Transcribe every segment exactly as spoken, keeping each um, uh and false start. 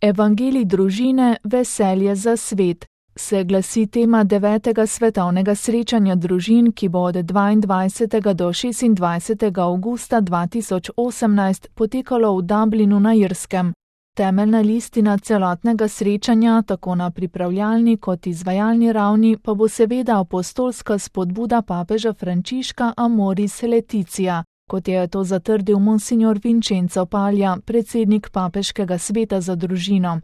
Evangelij družine, veselje za svet. Se glasi tema devetega svetovnega srečanja družin, ki bo od dvaindvajsetega do šestindvajsetega avgusta dva tisoč osemnajst potekalo v Dublinu na Irskem. Temeljna listina celotnega srečanja, tako na pripravljalni kot izvajalni ravni, pa bo seveda apostolska spodbuda papeža Frančiška Amoris Laetitia, kot je to zatrdil monsignor Vincenzo Paglia, predsednik papeškega sveta za družino.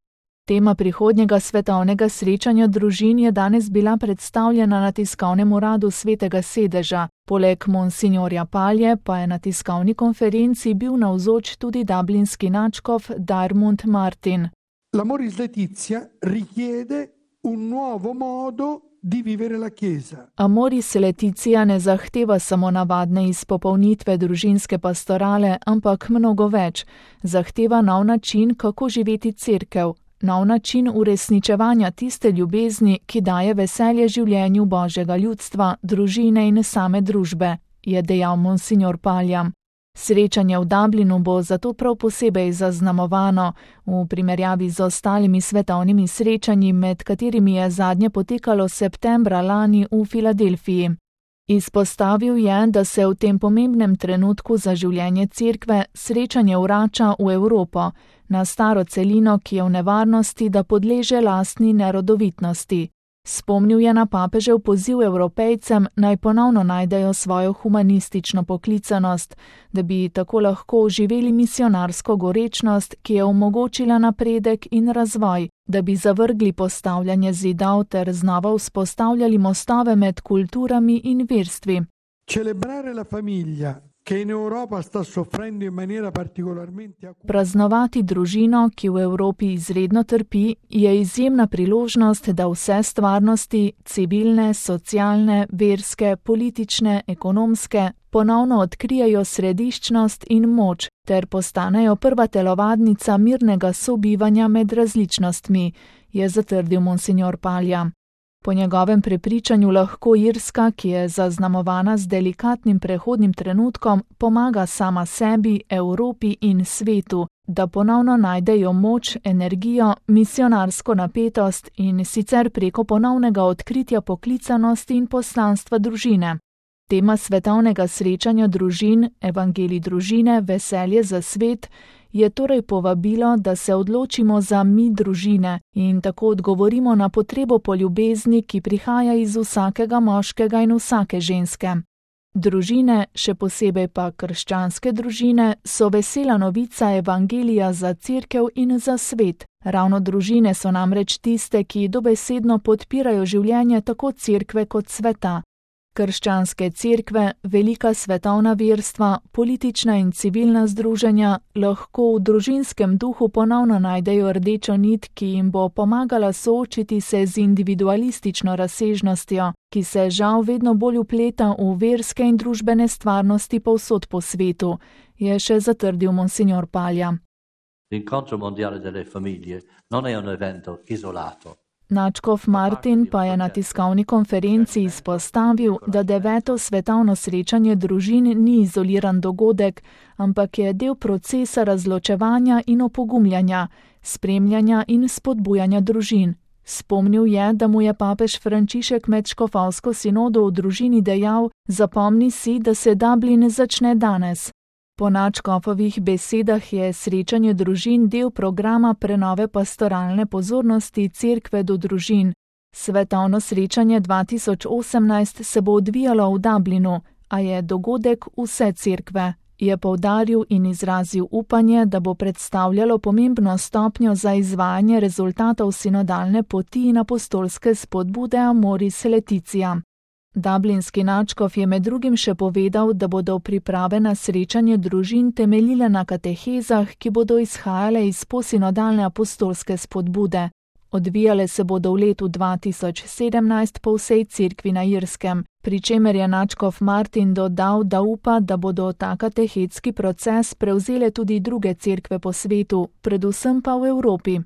Tema prihodnjega svetovnega srečanja družin je danes bila predstavljena na tiskovnem uradu Svetega sedeža. Poleg monsinjorja Paglie pa je na tiskovni konferenci bil navzoč tudi dublinski nadškof Diarmuid Martin. L'Amoris Laetitia richiede un nuovo modo di vivere la Chiesa. Amoris Laetitia ne zahteva samo navadne izpopolnitve družinske pastorale, ampak mnogo več. Zahteva nov način, kako živeti cerkev. Nov način uresničevanja tiste ljubezni, ki daje veselje življenju Božjega ljudstva, družine in same družbe, je dejal monsignor Paglia. Srečanje v Dublinu bo zato prav posebej zaznamovano v primerjavi z ostalimi svetovnimi srečanji, med katerimi je zadnje potekalo septembra lani v Filadelfiji. Izpostavil je, da se v tem pomembnem trenutku za življenje cerkve srečanje vrača v Evropo, na staro celino, ki je v nevarnosti, da podleže lastni nerodovitnosti. Spomnil je na papežev poziv Evropejcem, naj ponovno najdejo svojo humanistično poklicanost, da bi tako lahko živeli misionarsko gorečnost, ki je omogočila napredek in razvoj, da bi zavrgli postavljanje zidov ter znova vzpostavljali mostove med kulturami in verstvi. Celebrare la famiglia, che in Europa sta soffrendo in maniera particolarmente acuta. Praznovati družino, ki v Evropi izredno trpi, je izjemna priložnost, da vse stvarnosti, civilne, socialne, verske, politične, ekonomske, ponovno odkrijejo središčnost in moč, ter postanejo prva telovadnica mirnega sobivanja med različnostmi, je zatrdil monsignor Paglia. Po njegovem prepričanju lahko Irska, ki je zaznamovana z delikatnim prehodnim trenutkom, pomaga sama sebi, Evropi in svetu, da ponovno najdejo moč, energijo, misionarsko napetost in sicer preko ponovnega odkritja poklicanosti in poslanstva družine. Tema svetovnega srečanja družin, Evangelij družine, veselje za svet, je torej povabilo, da se odločimo za mi družine in tako odgovorimo na potrebo po ljubezni, ki prihaja iz vsakega moškega in vsake ženske. Družine, še posebej pa krščanske družine, so vesela novica Evangelija za cerkev in za svet. Ravno družine so namreč tiste, ki dobesedno podpirajo življenje tako cerkve kot sveta. Krščanske cerkve, velika svetovna verstva, politična in civilna združenja lahko v družinskem duhu ponovno najdejo rdečo nit, ki jim bo pomagala soočiti se z individualistično razsežnostjo, ki se žal vedno bolj vpleta v verske in družbene stvarnosti povsod po svetu, je še zatrdil monsignor Paglia. L'incontro mondiale delle famiglie non è un evento isolato. Nadškof Martin pa je na tiskovni konferenci izpostavil, da deveto svetovno srečanje družin ni izoliran dogodek, ampak je del procesa razločevanja in opogumljanja, spremljanja in spodbujanja družin. Spomnil je, da mu je papež Frančišek med škofovsko sinodo v družini dejal: "Zapomni si, da se Dublin začne danes." Po nadškofovih besedah je srečanje družin del programa prenove pastoralne pozornosti cerkve do družin. Svetovno srečanje dva tisoč osemnajst se bo odvijalo v Dublinu, a je dogodek vse cerkve, je poudaril in izrazil upanje, da bo predstavljalo pomembno stopnjo za izvajanje rezultatov sinodalne poti in apostolske spodbude Amoris Laetitia. Dublinski nadškof je med drugim še povedal, da bodo priprave na srečanje družin temeljile na katehezah, ki bodo izhajale iz posinodalne apostolske spodbude. Odvijale se bodo v letu dva tisoč sedemnajst po vsej cerkvi na Irskem, pri čemer je nadškof Martin dodal, da upa, da bodo ta katehetski proces prevzele tudi druge cerkve po svetu, predvsem pa v Evropi.